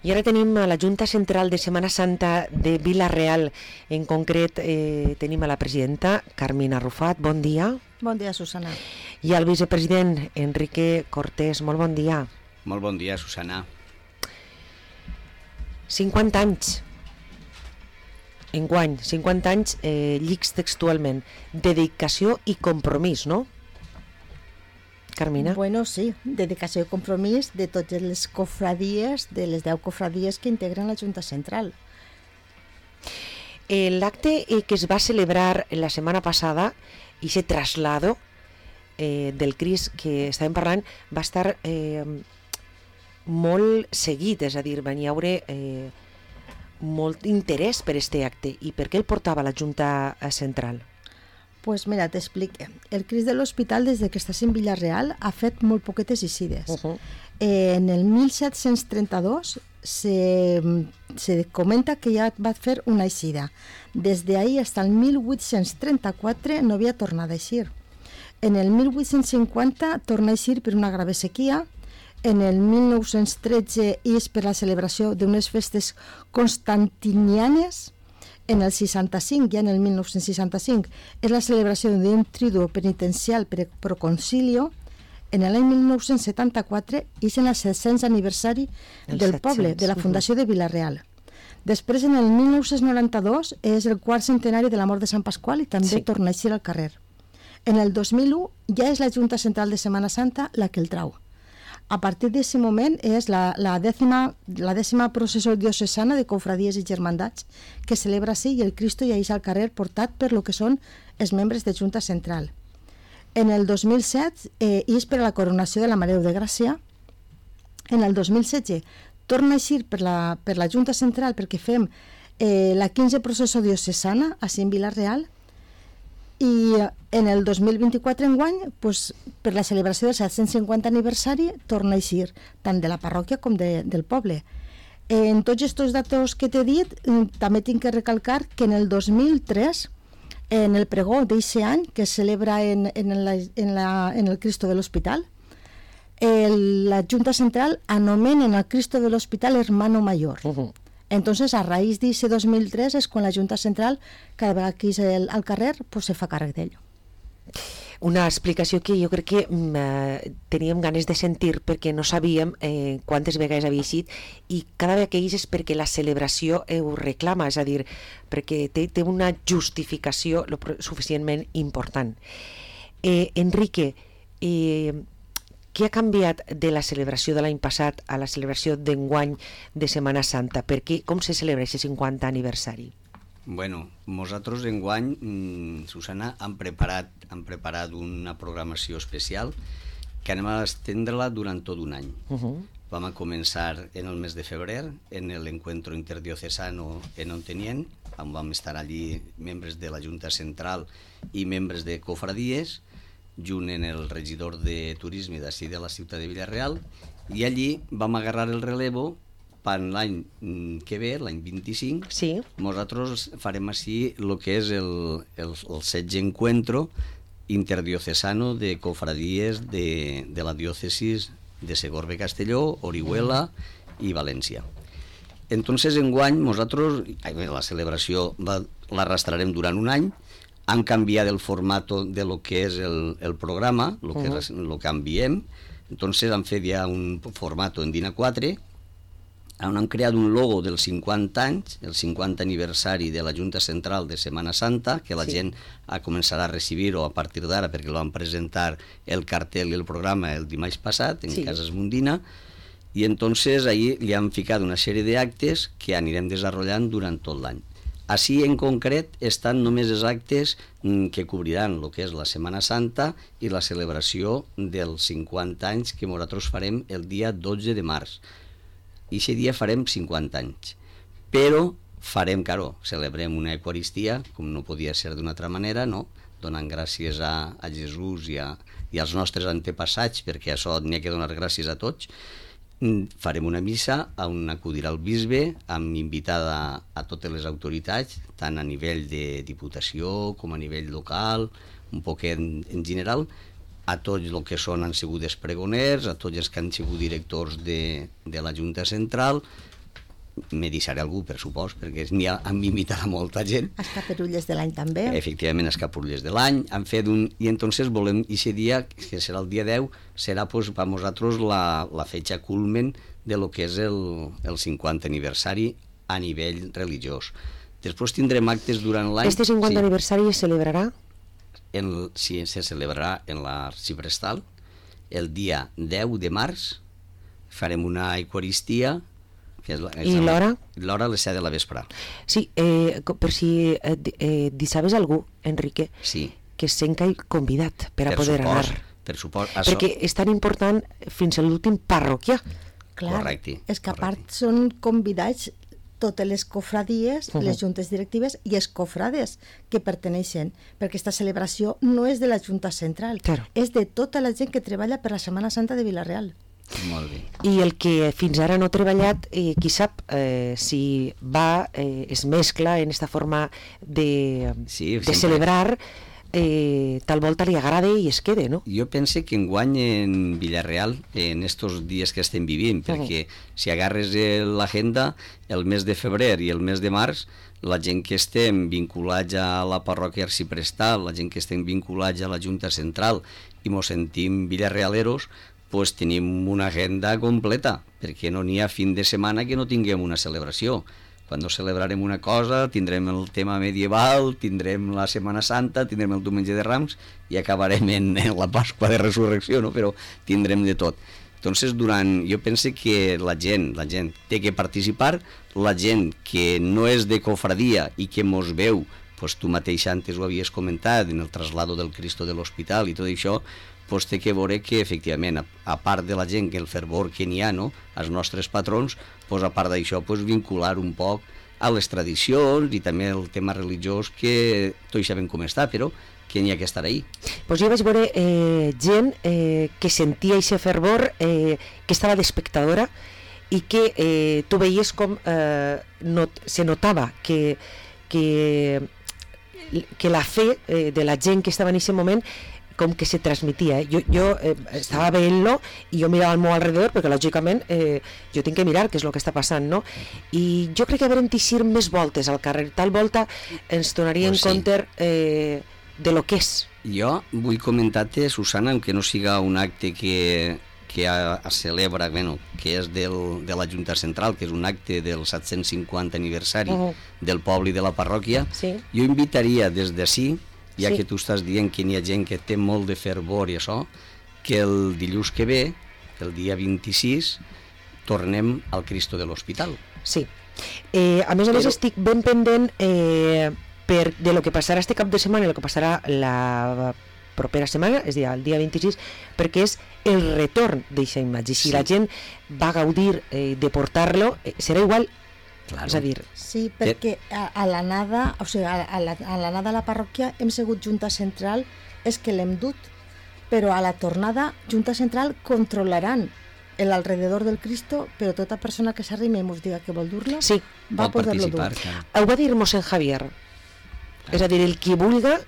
I ara tenim a la Junta Central de Setmana Santa de Vila-real. En concret tenim a la presidenta Carmina Arrufat. Bon dia. Bon dia, Susana. I al vicepresident Enrique Cortés. Molt bon dia. Molt bon dia, Susana. 50 anys. Enguany, 50 anys, llics textualment. Dedicació i compromís, no? Carmina? Bueno, sí, dedicació i compromís de totes les cofradies, de les 10 cofradies que integren la Junta Central. L'acte que es va celebrar la setmana passada, i ese traslado del Crist que estàvem parlant, va estar molt seguit, és a dir, van hi haure molt interès per este acte. I per què el portava la Junta Central? Pues mira, t'explique. El Crist de l'Hospital, des que estàs en Vila-real, ha fet molt poquetes eixides. En el 1732 se comenta que ja va fer una eixida. Des d'ahir fins al 1834 no havia tornat a eixir. En el 1850 torna a eixir per una grave sequia. En el 1913 és per la celebració d'unes festes constantinianes. En el 65, ja en el 1965, és la celebració d'un triduo penitencial per proconcilio. En l'any 1974 és en el 700 aniversari del poble, de la Fundació de Vila-real. Després, en el 1992, és el quart centenari de la mort de Sant Pasqual i també torna a eixir al carrer. En el 2001 ja és la Junta Central de Setmana Santa la que el trau. A partir d'aquest moment és la dècima processó diocesana de cofradies i germandats que celebra així i el Cristo ja és al carrer portat per lo que són els membres de Junta Central. En el 2007 és per a la coronació de la Mare de Gràcia. En el 2016 torna a eixir per la Junta Central perquè fem la 15 processó diocesana així en Vila-real. I en el 2024 enguany, pues, per la celebració del 750 aniversari, torna a eixir tant de la parròquia com del poble. En tots aquests datos que t'he dit, també tinc que recalcar que en el 2003, en el pregó d'aquest any, que es celebra en el Cristo de l'Hospital, la Junta Central anomena el Cristo de l'Hospital Hermano Mayor. Entonces, a raíz de ese 2003 es quan la Junta Central, cada vegada que és al carrer, pues se fa càrrec d'ell. Una explicació que jo crec que teníem ganes de sentir perquè no sabíem quantes vegades havia eixit i cada vegada que és perquè la celebració ho reclama, és a dir, perquè té una justificació suficientment important. Enrique, què ha canviat de la celebració de l'any passat a la celebració d'enguany de Setmana Santa? Com se celebra aquest 50 aniversari? Bueno, nosaltres enguany, Susana, hem preparat una programació especial que anem a estendre-la durant tot un any. Vam a començar en el mes de febrer en l'encuentro interdiocesano en Ontenient, on vam estar allí membres de la Junta Central i membres de cofradies, junt en el regidor de turisme d'ací de la ciutat de Vila-real, i allí vam agarrar el relevo per l'any que ve, l'any 25. Sí. Nosaltres farem així el que és el 16è encuentro interdiocesano de cofradies de la diòcesis de Segorbe Castelló, Orihuela i València. Entonces, enguany, nosaltres, la celebració l'arrastrarem durant un any. Han canviat el format de lo que és el programa, lo que enviem. Entonces han fet ja un format en DIN A4, on han creat un logo dels 50 anys, el 50 aniversari de la Junta Central de Setmana Santa, que la gent començarà a recibir-ho a partir d'ara, perquè lo van presentar el cartel i el programa el dimarts passat en Casas Mundina, i entonces ahí li han ficat una sèrie d'actes que anirem desenvolupant durant tot l'any. Així, en concret, estan només els actes que cobriran el que és la Setmana Santa i la celebració dels 50 anys que nosaltres farem el dia 12 de març. I aquest dia farem 50 anys. Però farem, celebrem una Eucaristia, com no podia ser d'una altra manera, no? Donant gràcies a Jesús i als nostres antepassats, perquè això n'hi ha que donar gràcies a tots. Farem una missa on acudirà el bisbe amb invitada a totes les autoritats, tant a nivell de diputació com a nivell local, un poquet en general, a tots els que han sigut els pregoners, a tots els que han sigut directors de la Junta Central, me deixaré algú, per supòs, perquè n'hi ha invitat a molta gent. Els capurulles de l'any també. Efectivament, els capurulles de l'any. Han fet i entonces volem, aquest dia, que serà el dia 10, serà pues, per nosaltres la fetge culmen de lo que és el 50 aniversari a nivell religiós. Després tindrem actes durant l'any. Este 50 aniversari es celebrarà? Sí, se celebrarà en l'Arxiprestal el dia 10 de març. Farem una eucaristia. I l'hora? L'hora a les 7 de la vespre. Sí, per si sabes algú, Enrique, sí, que es sent convidat per a poder anar. Per supòs. Perquè és tan important fins a l'últim parroquià. Clar, correcte, és que a part són convidats totes les cofradies, les juntes directives i els cofrades que perteneixen, perquè aquesta celebració no és de la Junta Central, és de tota la gent que treballa per la Setmana Santa de Vila-real. Molt bé. I el que fins ara no ha treballat, qui sap si va, es mescla en esta forma de celebrar, tal volta li agrada i es quede, no? Jo penso que enguany en Villarreal, en estos dies que estem vivint, perquè si agarres l'agenda, el mes de febrer i el mes de març, la gent que estem vinculats a la parròquia arxiprestal, la gent que estem vinculats a la Junta Central i mos sentim villarrealeros, pues tenim una agenda completa, perquè no n'hi ha fin de setmana que no tinguem una celebració. Quan celebrarem una cosa, tindrem el tema medieval, tindrem la Setmana Santa, tindrem el Diumenge de Rams i acabarem en la Pasqua de Resurrecció, no? Però tindrem de tot. Entonces, jo penso que la gent té que participar, la gent que no és de cofradia i que mos veu, pues tu mateix antes ho havies comentat, en el traslado del Cristo de l'Hospital i tot això, pues té que veure que, efectivament, a part de la gent, que el fervor que n'hi ha, no?, als nostres patrons, pues, a part d'això, pues, vincular un poc a les tradicions i també el tema religiós, que tots sabem com està, però que n'hi ha que estar ahí. Pues jo vaig veure gent que sentia aquest fervor, que estava d'espectadora i que tu veies com se notava que la fe de la gent que estava en aquest moment com que se transmitia. Jo estava veient-lo i jo mirava al meu alrededor perquè lògicament jo tinc que mirar què és el que està passant, no? I jo crec que haurem d'eixir més voltes al carrer, tal volta ens donaria en compte de lo que és. Jo vull comentar-te, Susana, aunque no siga un acte que es celebra, bueno, que és de la Junta Central, que és un acte del 750 aniversari del poble i de la parròquia, jo invitaria des d'ací, ja que tu estàs dient que n'hi ha gent que té molt de fervor i això, que el dilluns que ve, el dia 26, tornem al Cristo de l'Hospital. Sí. A més estic ben pendent de lo que passarà este cap de setmana i el que passarà la propera setmana, és a dir, el dia 26, perquè és el retorn d'aquesta imatge. Si la gent va gaudir de portar-lo, serà igual. Claro. És a dir... Sí, perquè a l'anada, o sigui, a l'anada a la parròquia hem sigut Junta Central, és que l'hem dut, però a la tornada Junta Central controlaran l'alrededor del Cristo, però tota persona que s'arrimi i ens diga que vol dur-lo, va poder-lo dur. Ho va dir mossèn Javier, és a dir, el qui vulga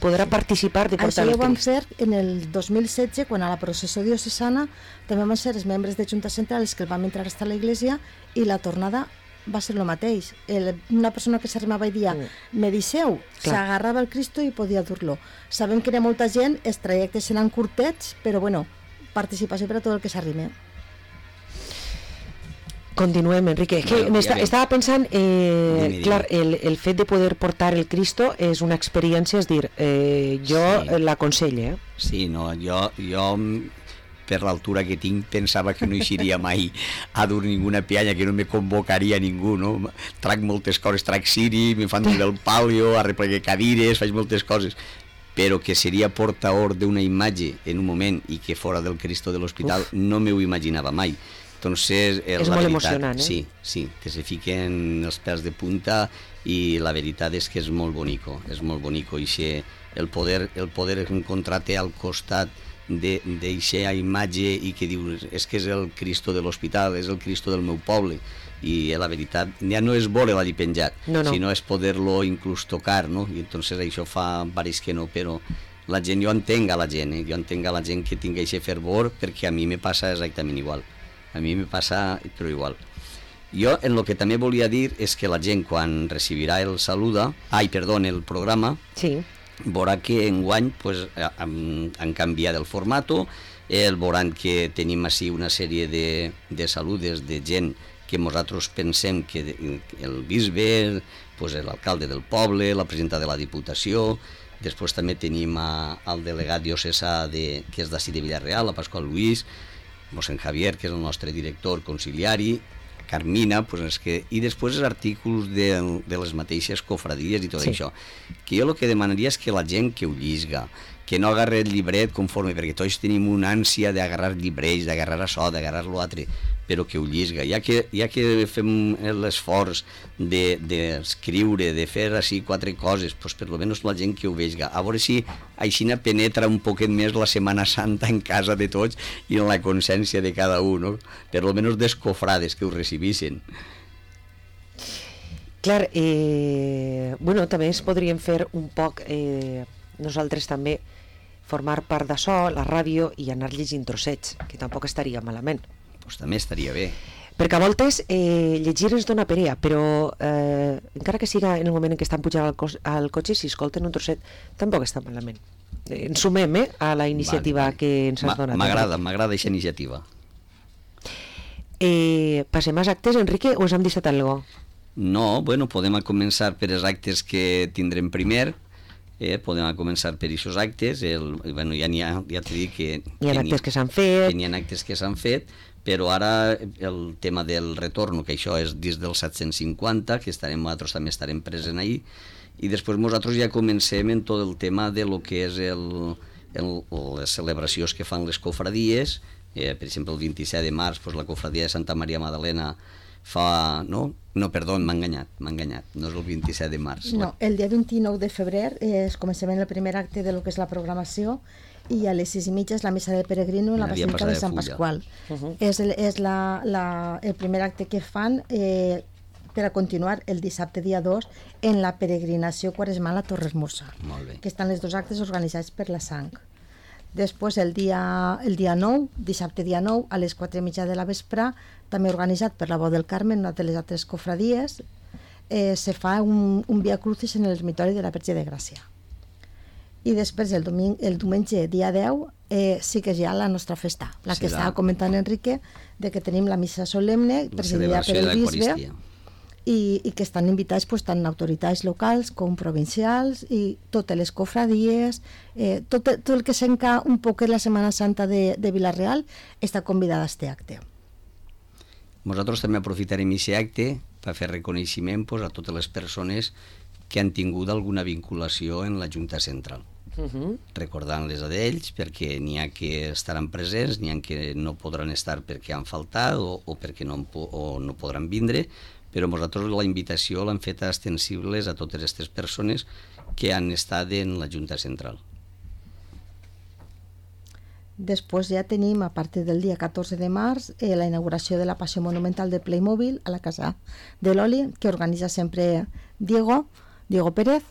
podrà participar de portar el Crist. Això ho vam fer en el 2016, quan a la processó diocesana també van ser els membres de Junta Central els que el vam entrar a l'església, i la tornada va ser el mateix. Una persona que s'arrimava i dia me deixeu, s'agarrava el Cristo i podia dur-lo. Sabem que hi ha molta gent, els trajectes seran curtets, però bueno, participació per a tot el que s'arrime. Continuem, Enrique. Estava pensant, clar, el fet de poder portar el Cristo és una experiència, és dir, jo l'aconselle. Sí, no, jo per l'altura que tinc pensava que no eixiria mai a dur ninguna pianya, que no me convocaria ningú, no? Trac moltes coses, trac ciri, me fan del palio, arrepleguer cadires, faig moltes coses, però que seria portador d'una imatge en un moment i que fora del Cristo de l'Hospital no m'ho imaginava mai. Entonces, és molt emocionant, Sí, que se fiquen els pèls de punta i la veritat és que és molt bonico, i el poder encontrar-te al costat d'eixa imatge i que dius, és que és el Cristo de l'Hospital, és el Cristo del meu poble, i la veritat ja no és veure l'allí penjat, sinó és poder-lo inclús tocar, no? I entonces això fa varis que no, però la gent, jo entenc a la gent, jo entenc a la gent que tingui aquest fervor, perquè a mi me passa exactament igual, però igual. Jo, en el que també volia dir és que la gent, quan recibirà el programa, sí, veurà que enguany pues, han canviat el formato, veuran que tenim així una sèrie de saludes de gent que nosaltres pensem que el bisbe, pues, l'alcalde del poble, la presidenta de la Diputació, després també tenim el delegat diocesà que és d'ací de Villarreal, la Pasqual Luis, mossèn Javier, que és el nostre director conciliari, Carmina, pues i després els artículs de les mateixes cofradies i tot això. Que jo el que demanaria és que la gent que ho llisga, que no agarra el llibret conforme, perquè tots tenim una ànsia d'agarrar llibrets, d'agarrar això, d'agarrar l'altre, però que ho llisga. Ja que fem l'esforç d'escriure, de fer així 4 coses, doncs per almenys la gent que ho vegi. A veure si així penetra un poquet més la Setmana Santa en casa de tots i en la consciència de cada un, no? Per almenys des cofrades que ho recibissin. Clar, bueno, també es podríem fer un poc, nosaltres també, formar part d'això, la ràdio, i anar llegint trossets, que tampoc estaria malament. Doncs també estaria bé. Perquè a voltes llegir ens dona perea, però encara que siga en el moment en què estan pujant al cotxe, si escolten un trosset, tampoc està malament. Ens sumem a la iniciativa que ens has donat. M'agrada aquesta iniciativa. Passem als actes, Enrique, o us hem deixat alguna cosa? No, bueno, podem començar per els actes que tindrem primer. Podem començar per aquests actes. Bueno, ja t'he dit que hi ha actes que s'han fet. Hi ha actes que s'han fet, però ara el tema del retorn, que això és dins del 750, que nosaltres també estarem presents ahir, i després nosaltres ja comencem en tot el tema de lo que és les celebracions que fan les cofradies. Per exemple, el 27 de març, la cofradia de Santa Maria Magdalena fa... No, perdó, m'ha enganyat, no és el 27 de març. No, el dia 29 de febrer comencem el primer acte de lo que és la programació, i a les 6:30 és la missa de peregrino en la Basílica de Sant Pasqual. És el primer acte que fan per a continuar el dissabte dia 2 en la peregrinació quaresmal a Torresmossa, que estan els 2 actes organitzats per la Sang. Després el dia 9, dissabte dia 9, a les 4:30 de la vespre, també organitzat per la Veu del Carme, una de les altres cofradies, se fa un Via Crucis en l'ermitori de la Verge de Gràcia. I després el diumenge dia 10 sí que és ja la nostra festa, la que estava comentant Enrique, de que tenim la missa solemne presidida per el bisbe, i que estan invitats tant autoritats locals com provincials i totes les cofradies, tot el que s'enca un poc la Setmana Santa de Vila-real està convidada a este acte. Nosaltres també aprofitarem aquest acte per fer reconeixement a totes les persones que han tingut alguna vinculació en la Junta Central. Recordant-les a d'ells, perquè n'hi ha que estaran presents, n'hi ha que no podran estar perquè han faltat o perquè no podran vindre, però nosaltres la invitació l'hem fet extensibles a totes aquestes persones que han estat en la Junta Central. Després ja tenim, a partir del dia 14 de març, la inauguració de la Passió Monumental de Playmobil a la Casa de l'Oli, que organitza sempre Diego Pérez.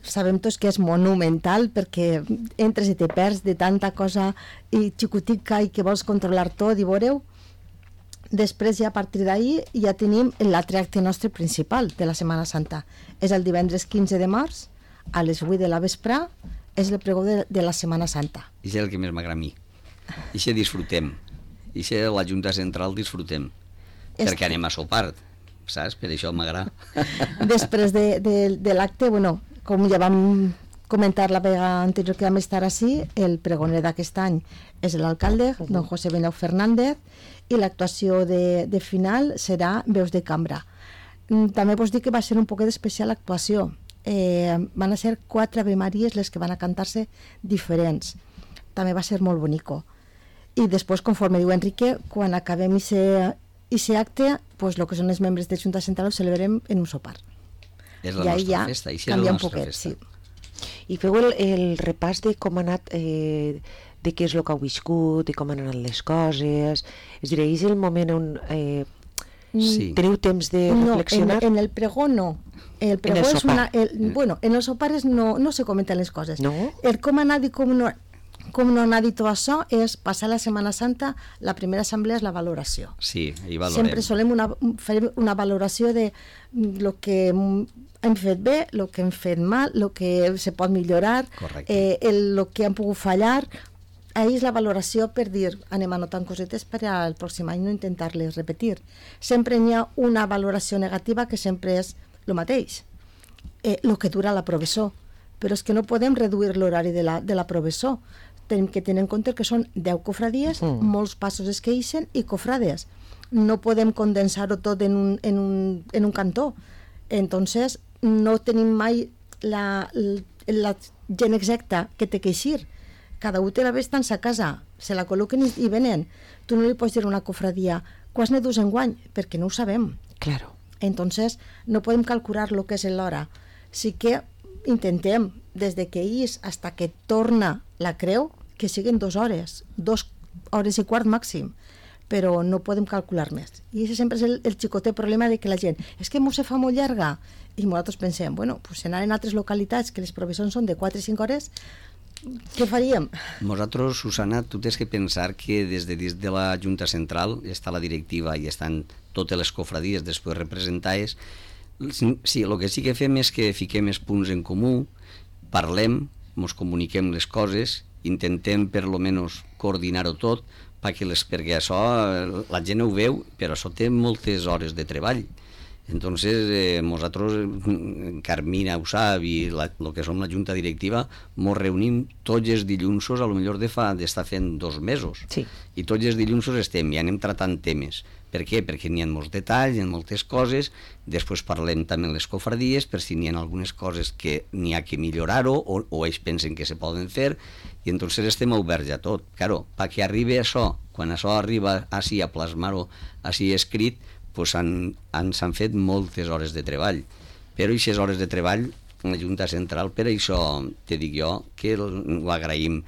Sabem tots que és monumental perquè entres i te perds de tanta cosa i xicotica i que vols controlar tot, i veureu. Després, ja a partir d'ahir, ja tenim l'altre acte nostre principal de la Setmana Santa. És el divendres 15 de març, a les 8 de la vespre, és el pregó de la Setmana Santa. I és el que més m'agrada a mi. I se disfrutem. I se la Junta Central disfrutem. Perquè anem a sopar, saps? Per això m'agrada. Després de l'acte, bueno, com ja vam comentar la vegada anterior que vam estar així, el pregoner d'aquest any és l'alcalde, don José Benau Fernández, i l'actuació de final serà Veus de Cambra. També vos dic que va ser un poquet d'especial actuació. Van a ser 4 Ave Maries les que van a cantar-se diferents. També va ser molt bonico. I després, conforme diu Enrique, quan acabem aquest acte, pues, el que són els membres de Junta Central ho celebrem en un sopar. És la nostra festa. I canvia un poquet, sí. I feu el repàs de com ha anat, de què és el que heu viscut, de com han anat les coses. És a dir, és el moment on teniu temps de reflexionar? No, en el pregó no. El pregó és bueno, en els sopares no se comenten les coses. No? El com ha anat i com no... com no n'ha dit això, és passar la Setmana Santa, la primera assemblea és la valoració. Sí, ahí valorem. Sempre solem fer una valoració de el que hem fet bé, el que hem fet mal, el que se pot millorar, el que hem pogut fallar. Ahí és la valoració per dir, anem anotant cosetes per al pròxim any, no intentar-les repetir. Sempre n'hi ha una valoració negativa que sempre és el mateix, el que dura la professor. Però és que no podem reduir l'horari de la professor. Tenim que tenir en compte que són 10 cofradies, molts passos es queixen i cofrades. No podem condensar-ho tot en un cantó. Entonces, no tenim mai la gent exacta que té que eixir. Cada un té la vesta en sa casa, se la col·loquen i venen. Tu no li pots dir a una cofradia, quants ne dus enguany? Perquè no ho sabem. Claro. Entonces, no podem calcular el que és l'hora. Sí que intentem, des de que és fins que torna la creu, que siguin 2 hores, 2 hores i quart màxim, però no podem calcular més. I això sempre és el xicotet problema de que la gent, és que se fa molt llarga, i nosaltres pensem, bueno, pues si anaren a altres localitats que les professions són de 4 i 5 hores, què faríem? Nosaltres, Susana, tu tens que pensar que des de la Junta Central està la directiva i estan totes les cofradies després representades. Sí, el que sí que fem és que fiquem els punts en comú, parlem, ens comuniquem les coses, intentem per lo menos coordinar-ho tot, perquè això la gent ho veu, però això té moltes hores de treball. Entonces, nosaltres, Carmina ho sap, i el que som la junta directiva, ens reunim tots els dilluns, a lo millor d'estar fent 2 mesos. Sí. I tots els dilluns estem i anem tratant temes. Per què? Perquè n'hi ha molts detalls, n'hi ha moltes coses, després parlem també amb les cofradies, per si n'hi ha algunes coses que n'hi ha que millorar-ho, o ells pensen que se poden fer, i entonces estem oberts a tot. Claro, perquè arribi això, quan això arriba així a plasmar-ho així escrit, pues s'han fet moltes hores de treball. Però aquestes hores de treball, la Junta Central, per això te dic jo que ho agraïm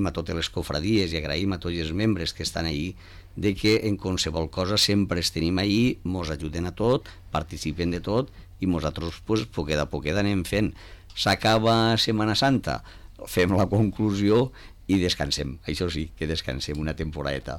a totes les cofradies i agraïm a tots els membres que estan ahí, de que en qualsevol cosa sempre els tenim ahí, ens ajuden a tot, participen de tot, i nosaltres, pues, poquet a poquet anem fent. S'acaba Setmana Santa, fem la conclusió i descansem. Això sí, que descansem una temporadeta.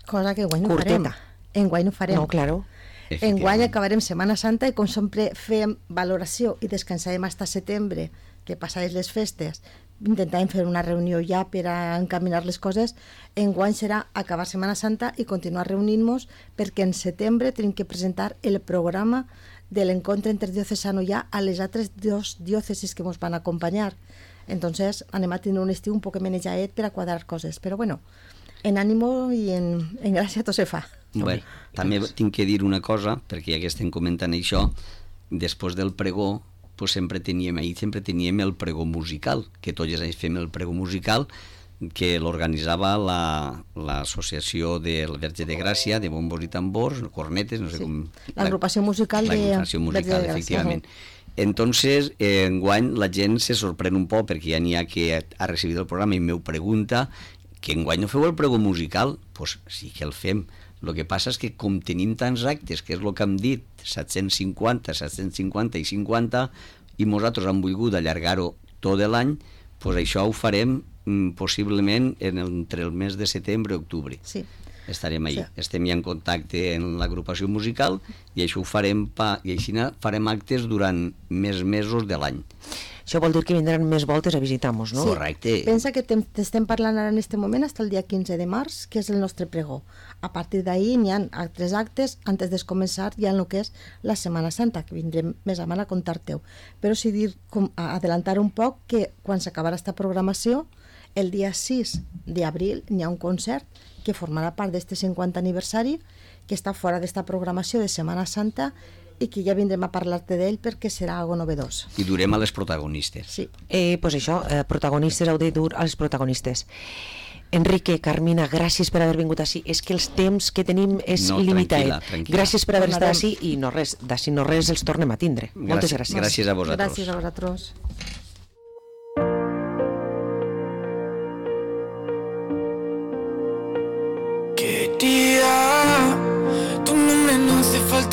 Cosa que guany no farem. Enguany no farem. No, claro. Enguany acabarem Setmana Santa i com sempre fem valoració i descansarem fins a setembre, que passades les festes, intentarem fer una reunió ja per a encaminar les coses. Enguany serà acabar Setmana Santa i continuar reunint-nos, perquè en setembre tenim que presentar el programa de l'encontre interdiocesano ja a les altres 2 diòcesis que ens van acompanyar. Entonces anem a tenir un estiu un poc menejaet per a quadrar coses, però bueno, en ànimo i en gràcia tot se fa. Bé, també tinc que dir una cosa, perquè ja que estem comentant això, després del pregó, pues sempre teníem el pregó musical, que tots els anys fem el pregó musical, que l'organitzava l'associació del Verge de Gràcia, de bombos i tambors, cornetes, no sé com... L'agrupació musical de Verge de Gràcia, efectivament. Entonces, enguany la gent se sorprèn un poc, perquè ja n'hi ha que ha recibit el programa i m'ho pregunta, que enguany no feu el pregó musical? Doncs sí que el fem. El que passa és que com tenim tants actes, que és el que hem dit, 750 i 50, i nosaltres hem volgut allargar-ho tot l'any, doncs això ho farem possiblement entre el mes de setembre i octubre. Sí. Estarem ahí. Sí. Estem ja en contacte amb l'agrupació musical i això ho farem, i així farem actes durant més mesos de l'any. Això vol dir que vindran més voltes a visitar-nos, no? Sí. Correcte. Pensa que t'estem parlant ara en aquest moment fins al dia 15 de març, que és el nostre pregó. A partir d'ahir n'hi ha altres actes antes de començar ja en el que és la Setmana Santa, que vindrem més a mà a contar-te-ho. Però sí dir, adelantar un poc, que quan s'acabarà aquesta programació, el dia 6 d'abril n'hi ha un concert que formarà part d'este 50 aniversari, que està fora d'esta programació de Setmana Santa i que ja vindrem a parlar-te d'ell perquè serà algo novedós. I durem a les protagonistes. Sí. Pues això, protagonistes, heu de dur als protagonistes. Enrique, Carmina, gràcies per haver vingut així. És que els temps que tenim és limitat. Tranquil·la. Gràcies per haver estat així i no res, d'ací no res els tornem a tindre. Moltes gràcies. Gràcies a vosaltres. Gràcies a vosaltres.